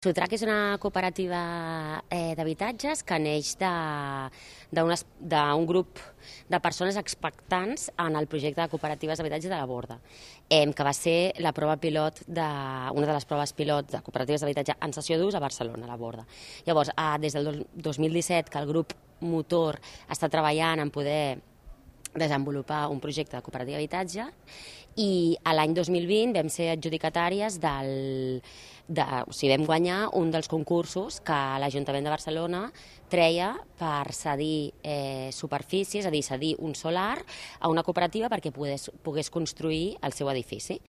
Sotrac és una cooperativa d'habitatges que neix d'un grup de persones expectants en el projecte de cooperatives d'habitatge de la Borda, que va ser la prova pilot una de les proves pilot de cooperatives d'habitatge en cessió d'ús a Barcelona, a la Borda. Llavors, des del 2017 que el grup motor està treballant en poder desenvolupar un projecte de cooperativa d'habitatge i l'any 2020 vam ser adjudicatàries vam guanyar un dels concursos que l'Ajuntament de Barcelona treia per cedir superfícies, és a dir, cedir un solar a una cooperativa perquè pogués construir el seu edifici.